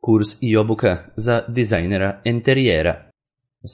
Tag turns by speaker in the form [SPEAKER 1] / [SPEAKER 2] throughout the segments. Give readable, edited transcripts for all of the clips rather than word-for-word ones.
[SPEAKER 1] Kurs i obuka za dizajnera enterijera.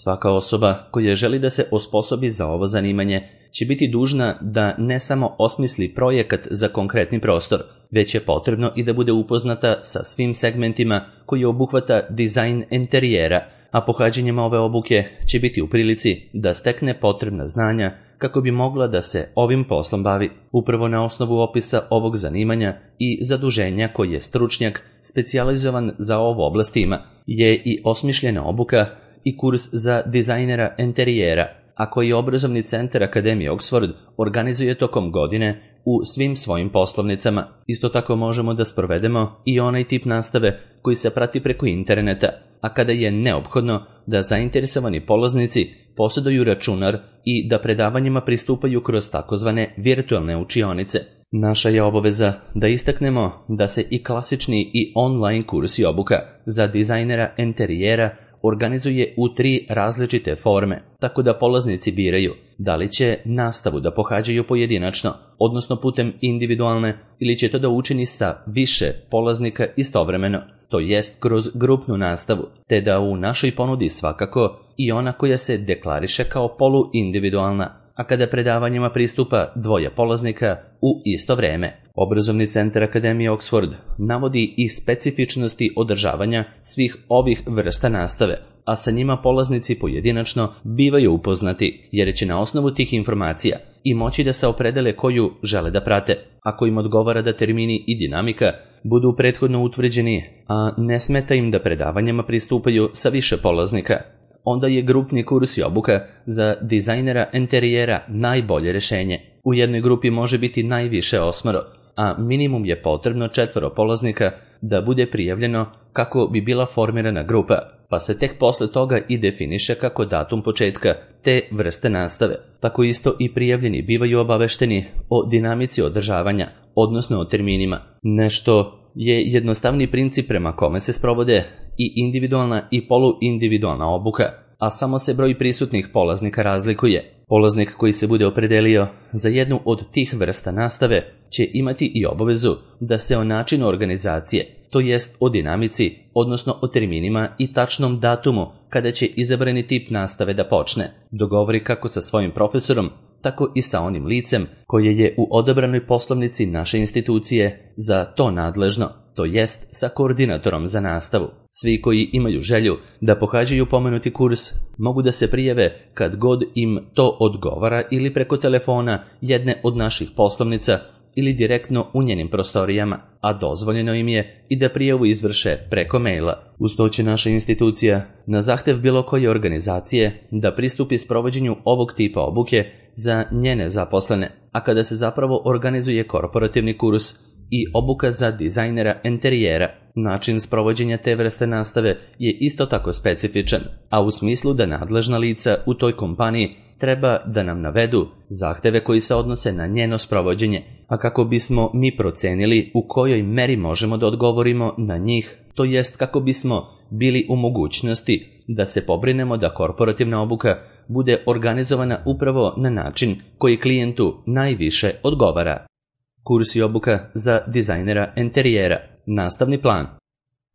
[SPEAKER 1] Svaka osoba koja želi da se osposobi za ovo zanimanje će biti dužna da ne samo osmisli projekat za konkretni prostor, već je potrebno i da bude upoznata sa svim segmentima koji obuhvata dizajn enterijera, a pohađanjem ove obuke će biti u prilici da stekne potrebna znanja kako bi mogla da se ovim poslom bavi. Upravo na osnovu opisa ovog zanimanja i zaduženja koji je stručnjak specijalizovan za ovu oblast ima, je i osmišljena obuka i kurs za dizajnera enterijera, a koji obrazovni centar Akademije Oxford organizuje tokom godine u svim svojim poslovnicama. Isto tako možemo da sprovedemo i onaj tip nastave koji se prati preko interneta, a kada je neophodno da zainteresovani polaznici posjeduju računar i da predavanjima pristupaju kroz takozvane virtualne učionice. Naša je obaveza da istaknemo da se i klasični i online kurs i obuka za dizajnera enterijera organizuje u 3 različite forme, tako da polaznici biraju da li će nastavu da pohađaju pojedinačno, odnosno putem individualne, ili će to da učini sa više polaznika istovremeno, to jest kroz grupnu nastavu, te da u našoj ponudi svakako i ona koja se deklariše kao poluindividualna, a kada predavanjima pristupa 2 polaznika u isto vreme. Obrazovni centar Akademije Oxford navodi i specifičnosti održavanja svih ovih vrsta nastave, a sa njima polaznici pojedinačno bivaju upoznati, jer će na osnovu tih informacija i moći da se opredele koju žele da prate, ako im odgovara da termini i dinamika budu prethodno utvrđeni, a ne smeta im da predavanjima pristupaju sa više polaznika. Onda je grupni kurs i obuka za dizajnera enterijera najbolje rešenje. U jednoj grupi može biti najviše 8, a minimum je potrebno 4 polaznika da bude prijavljeno kako bi bila formirana grupa, pa se tek posle toga i definiše kako datum početka te vrste nastave. Tako isto i prijavljeni bivaju obavešteni o dinamici održavanja, odnosno o terminima. Nešto je jednostavni princip prema kome se sprovode i individualna i poluindividualna obuka, a samo se broj prisutnih polaznika razlikuje. Polaznik koji se bude opredelio za jednu od tih vrsta nastave će imati i obavezu da se o načinu organizacije, to jest o dinamici, odnosno o terminima i tačnom datumu kada će izabrani tip nastave da počne, dogovori kako sa svojim profesorom, tako i sa onim licem koje je u odabranoj poslovnici naše institucije za to nadležno, to jest sa koordinatorom za nastavu. Svi koji imaju želju da pohađaju pomenuti kurs mogu da se prijave kad god im to odgovara ili preko telefona jedne od naših poslovnica ili direktno u njenim prostorijama, a dozvoljeno im je i da prijavu izvrše preko maila. Uz to će naša institucija na zahtev bilo koje organizacije da pristupi sprovođenju ovog tipa obuke za njene zaposlene, a kada se zapravo organizuje korporativni kurs i obuka za dizajnera enterijera, način sprovođenja te vrste nastave je isto tako specifičan, a u smislu da nadležna lica u toj kompaniji treba da nam navedu zahteve koji se odnose na njeno sprovođenje, a kako bismo mi procenili u kojoj meri možemo da odgovorimo na njih, to jest kako bismo bili u mogućnosti da se pobrinemo da korporativna obuka bude organizovana upravo na način koji klijentu najviše odgovara. Kurs i obuka za dizajnera enterijera. Nastavni plan.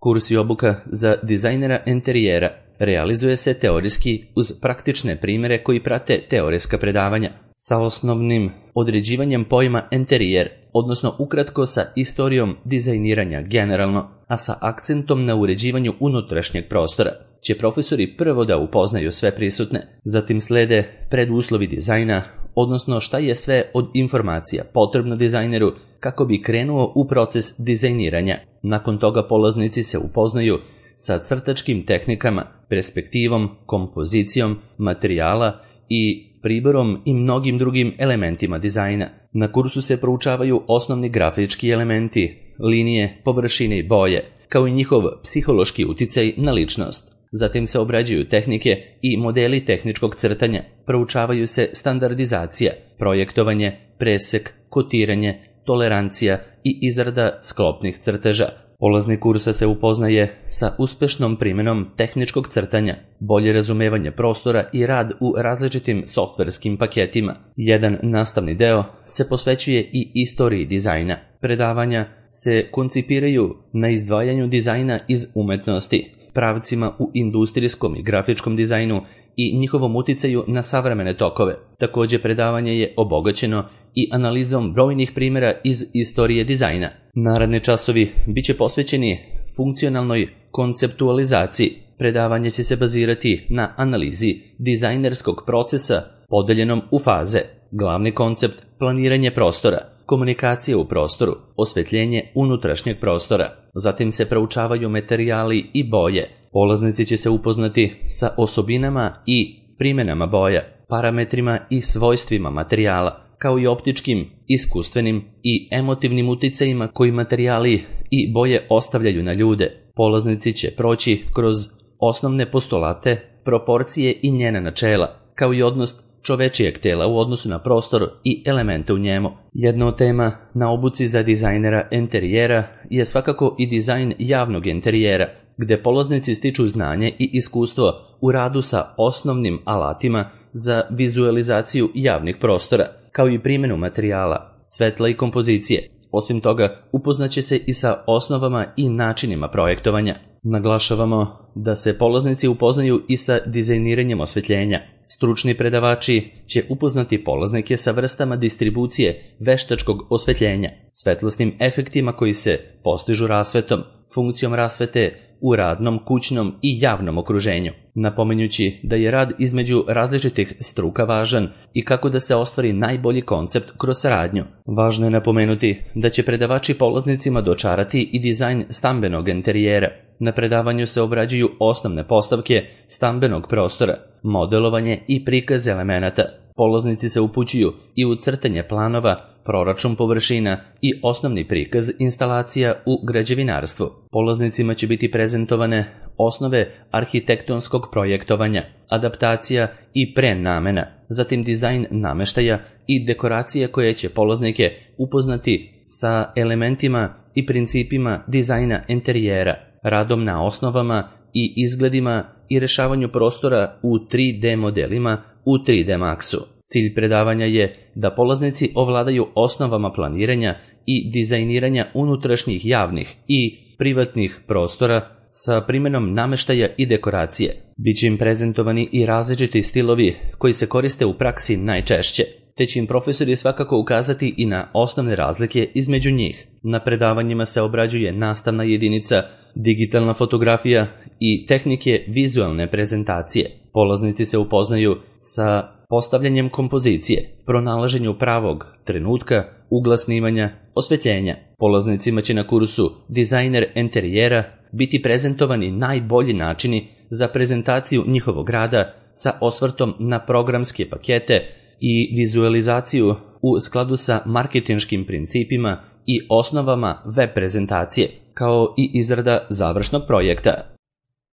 [SPEAKER 1] Kurs i obuka za dizajnera enterijera realizuje se teorijski uz praktične primjere koji prate teorijska predavanja, sa osnovnim određivanjem pojma enterijer, odnosno ukratko sa istorijom dizajniranja generalno, a sa akcentom na uređivanju unutrašnjeg prostora, će profesori prvo da upoznaju sve prisutne, zatim slede preduslovi dizajna, odnosno šta je sve od informacija potrebno dizajneru kako bi krenuo u proces dizajniranja. Nakon toga polaznici se upoznaju sa crtačkim tehnikama, perspektivom, kompozicijom, materijala i priborom i mnogim drugim elementima dizajna. Na kursu se proučavaju osnovni grafički elementi, linije, površine i boje, kao i njihov psihološki uticaj na ličnost. Zatim se obrađuju tehnike i modeli tehničkog crtanja, proučavaju se standardizacija, projektovanje, presek, kotiranje, tolerancija i izrada sklopnih crteža. Polaznik kursa se upoznaje sa uspešnom primjenom tehničkog crtanja, bolje razumevanje prostora i rad u različitim softverskim paketima. Jedan nastavni deo se posvećuje i istoriji dizajna. Predavanja se koncipiraju na izdvajanju dizajna iz umetnosti, pravcima u industrijskom i grafičkom dizajnu i njihovom uticaju na savremene tokove. Također predavanje je obogaćeno i analizom brojnih primjera iz istorije dizajna. Naredni časovi bit će posvećeni funkcionalnoj konceptualizaciji. Predavanje će se bazirati na analizi dizajnerskog procesa podeljenom u faze. Glavni koncept planiranje prostora, komunikacija u prostoru, osvetljenje unutrašnjeg prostora. Zatim se proučavaju materijali i boje. Polaznici će se upoznati sa osobinama i primjenama boja, parametrima i svojstvima materijala, kao i optičkim, iskustvenim i emotivnim uticajima koji materijali i boje ostavljaju na ljude. Polaznici će proći kroz osnovne postulate, proporcije i njena načela, kao i odnos čovečijeg tela u odnosu na prostor i elemente u njemu. Jedna od tema na obuci za dizajnera enterijera je svakako i dizajn javnog enterijera, gde polaznici stiču znanje i iskustvo u radu sa osnovnim alatima za vizualizaciju javnih prostora, kao i primjenu materijala, svetla i kompozicije. Osim toga, upoznaće se i sa osnovama i načinima projektovanja. Naglašavamo da se polaznici upoznaju i sa dizajniranjem osvetljenja. Stručni predavači će upoznati polaznike sa vrstama distribucije veštačkog osvetljenja, svetlosnim efektima koji se postižu rasvetom, funkcijom rasvete u radnom, kućnom i javnom okruženju, napominjući da je rad između različitih struka važan i kako da se ostvari najbolji koncept kroz saradnju. Važno je napomenuti da će predavači polaznicima dočarati i dizajn stambenog enterijera. Na predavanju se obrađuju osnovne postavke stambenog prostora, modelovanje i prikaz elemenata. Polaznici se upućuju i u crtanje planova, proračun površina i osnovni prikaz instalacija u građevinarstvu. Polaznicima će biti prezentovane osnove arhitektonskog projektovanja, adaptacija i prenamena, zatim dizajn nameštaja i dekoracije koje će polaznike upoznati sa elementima i principima dizajna enterijera, radom na osnovama i izgledima i rešavanju prostora u 3D modelima u 3D Maxu. Cilj predavanja je da polaznici ovladaju osnovama planiranja i dizajniranja unutrašnjih javnih i privatnih prostora sa primjenom nameštaja i dekoracije. Biće im prezentovani i različiti stilovi koji se koriste u praksi najčešće, te će im profesori svakako ukazati i na osnovne razlike između njih. Na predavanjima se obrađuje nastavna jedinica, digitalna fotografija i tehnike vizualne prezentacije. Polaznici se upoznaju sa postavljanjem kompozicije, pronalaženju pravog trenutka, ugla snimanja, osvetljenja. Polaznicima će na kursu Dizajner enterijera biti prezentovani najbolji načini za prezentaciju njihovog rada sa osvrtom na programske pakete i vizualizaciju u skladu sa marketinškim principima i osnovama web prezentacije, kao i izrada završnog projekta.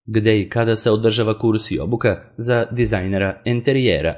[SPEAKER 1] Gde i kada se održava kurs i obuka za dizajnera enterijera?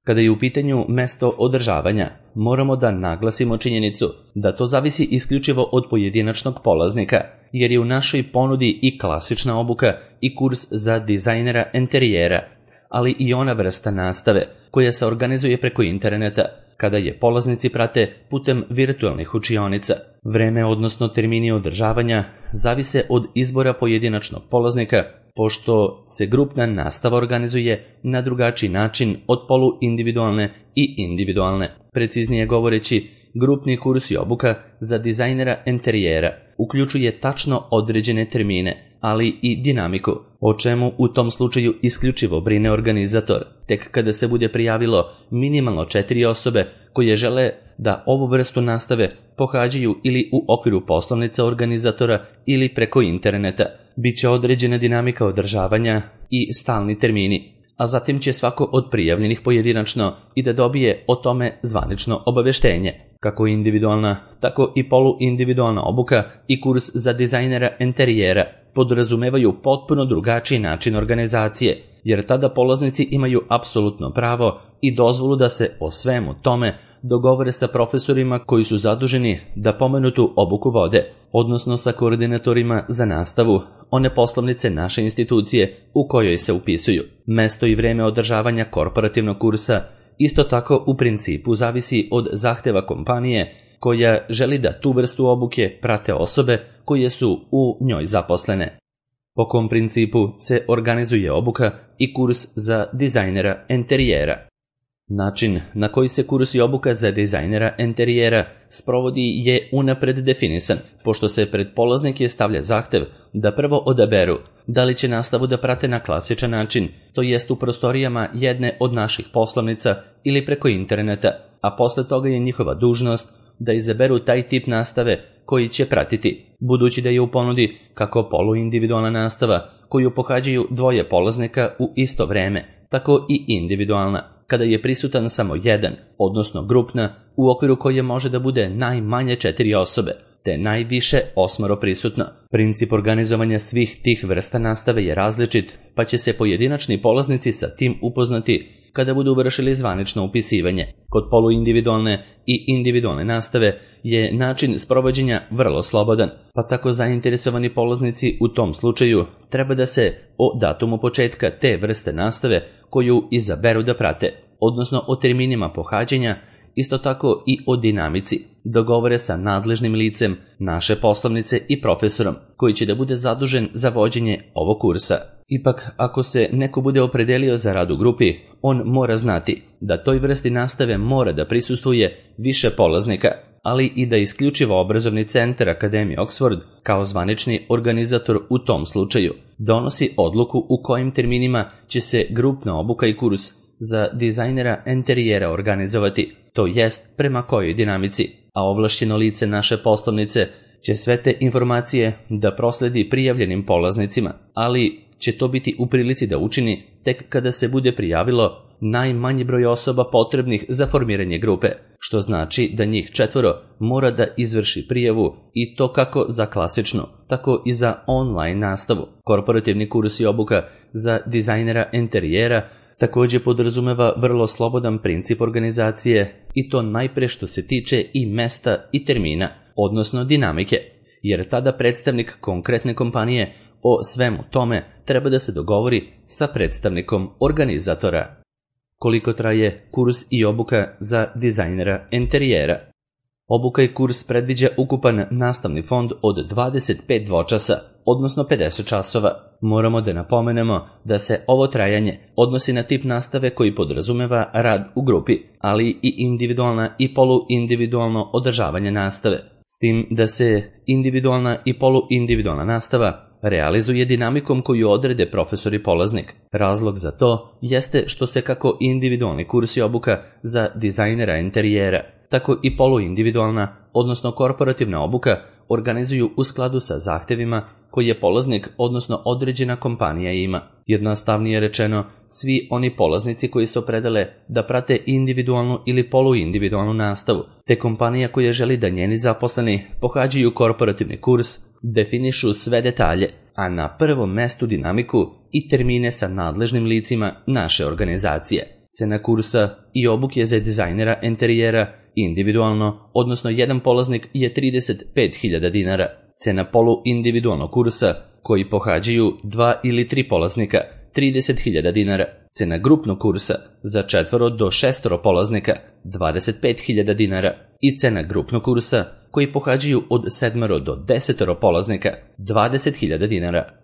[SPEAKER 1] Kada je u pitanju mesto održavanja, moramo da naglasimo činjenicu da to zavisi isključivo od pojedinačnog polaznika, jer je u našoj ponudi i klasična obuka i kurs za dizajnera enterijera, ali i ona vrsta nastave koja se organizuje preko interneta, kada je polaznici prate putem virtualnih učionica. Vreme, odnosno termini održavanja, zavise od izbora pojedinačnog polaznika, pošto se grupna nastava organizuje na drugačiji način od poluindividualne i individualne. Preciznije govoreći, grupni kurs i obuka za dizajnera enterijera uključuje tačno određene termine, ali i dinamiku, o čemu u tom slučaju isključivo brine organizator. Tek kada se bude prijavilo minimalno 4 osobe koje žele da ovu vrstu nastave pohađaju ili u okviru poslovnica organizatora ili preko interneta, bit će određena dinamika održavanja i stalni termini, a zatim će svako od prijavljenih pojedinačno i da dobije o tome zvanično obaveštenje. Kako individualna, tako i poluindividualna obuka i kurs za dizajnera enterijera podrazumevaju potpuno drugačiji način organizacije, jer tada polaznici imaju apsolutno pravo i dozvolu da se o svemu tome dogovore sa profesorima koji su zaduženi da pomenutu obuku vode, odnosno sa koordinatorima za nastavu one poslovnice naše institucije u kojoj se upisuju. Mesto i vreme održavanja korporativnog kursa isto tako u principu zavisi od zahteva kompanije koja želi da tu vrstu obuke prate osobe koje su u njoj zaposlene. Po kom principu se organizuje obuka i kurs za dizajnera enterijera? Način na koji se kurs i obuka za dizajnera enterijera sprovodi je unapred definisan, pošto se pred polaznike stavlja zahtev da prvo odaberu da li će nastavu da prate na klasičan način, to jest u prostorijama jedne od naših poslovnica ili preko interneta, a posle toga je njihova dužnost da izaberu taj tip nastave koji će pratiti, budući da je u ponudi kako poluindividualna nastava koju pohađaju dvoje polaznika u isto vreme, tako i individualna, kada je prisutan samo jedan, odnosno grupna, u okviru koje može da bude najmanje 4 osobe, te najviše 8 prisutno. Princip organizovanja svih tih vrsta nastave je različit, pa će se pojedinačni polaznici sa tim upoznati kada budu vršili zvanično upisivanje. Kod poluindividualne i individualne nastave je način sprovođenja vrlo slobodan, pa tako zainteresovani polaznici u tom slučaju treba da se o datumu početka te vrste nastave koju izaberu da prate, odnosno o terminima pohađanja, isto tako i o dinamici, dogovore sa nadležnim licem naše poslovnice i profesorom koji će da bude zadužen za vođenje ovog kursa. Ipak, ako se neko bude opredelio za rad u grupi, on mora znati da toj vrsti nastave mora da prisustvuje više polaznika, ali i da isključivo obrazovni centar Akademije Oxford, kao zvanični organizator u tom slučaju, donosi odluku u kojim terminima će se grupna obuka i kurs za dizajnera enterijera organizovati, to jest prema kojoj dinamici, a ovlašćeno lice naše poslovnice će sve te informacije da prosledi prijavljenim polaznicima, ali će to biti u prilici da učini tek kada se bude prijavilo najmanji broj osoba potrebnih za formiranje grupe, što znači da njih 4 mora da izvrši prijavu i to kako za klasičnu, tako i za online nastavu. Korporativni kurs i obuka za dizajnera enterijera također podrazumeva vrlo slobodan princip organizacije i to najpre što se tiče i mesta i termina, odnosno dinamike, jer tada predstavnik konkretne kompanije o svemu tome treba da se dogovori sa predstavnikom organizatora. Koliko traje kurs i obuka za dizajnera enterijera? Obuka i kurs predviđa ukupan nastavni fond od 25 dvočasa, odnosno 50 časova. Moramo da napomenemo da se ovo trajanje odnosi na tip nastave koji podrazumeva rad u grupi, ali i individualna i poluindividualno održavanje nastave. S tim da se individualna i poluindividualna nastava realizuje dinamikom koju odrede profesor i polaznik. Razlog za to jeste što se kako individualni kurs i obuka za dizajnera enterijera, tako i poluindividualna, odnosno korporativna obuka organizuju u skladu sa zahtevima koje polaznik, odnosno određena kompanija ima. Jednostavnije rečeno, svi oni polaznici koji se opredele da prate individualnu ili poluindividualnu nastavu, te kompanija koja želi da njeni zaposleni pohađaju korporativni kurs, definišu sve detalje, a na prvom mestu dinamiku i termine sa nadležnim licima naše organizacije. Cena kursa i obuke za dizajnera enterijera individualno, odnosno jedan polaznik je 35.000 dinara. Cena poluindividualnog kursa koji pohađaju 2 ili 3 polaznika 30.000 dinara. Cena grupnog kursa za 4 do 6 polaznika 25.000 dinara i cena grupnog kursa koji pohađaju od 7 do 10 polaznika 20.000 dinara.